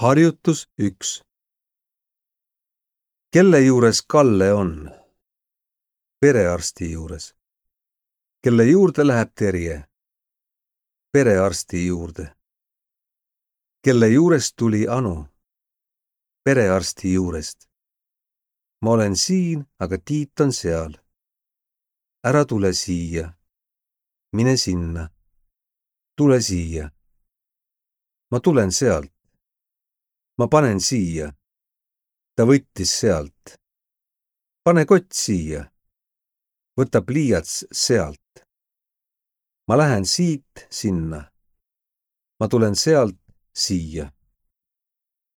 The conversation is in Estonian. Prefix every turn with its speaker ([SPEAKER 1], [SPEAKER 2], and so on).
[SPEAKER 1] Harjutus 1. Kelle juures Kalle on? Perearsti juures. Kelle juurde läheb Terje? Perearsti juurde. Kelle juurest tuli Anu? Perearsti juurest. Ma olen siin, aga Tiit on seal. Ära tule siia. Mine sinna. Tule siia. Ma tulen sealt. Ma panen siia. Ta võttis sealt. Pane kott siia. Võta pliiats sealt. Ma lähen siit sinna. Ma tulen sealt siia.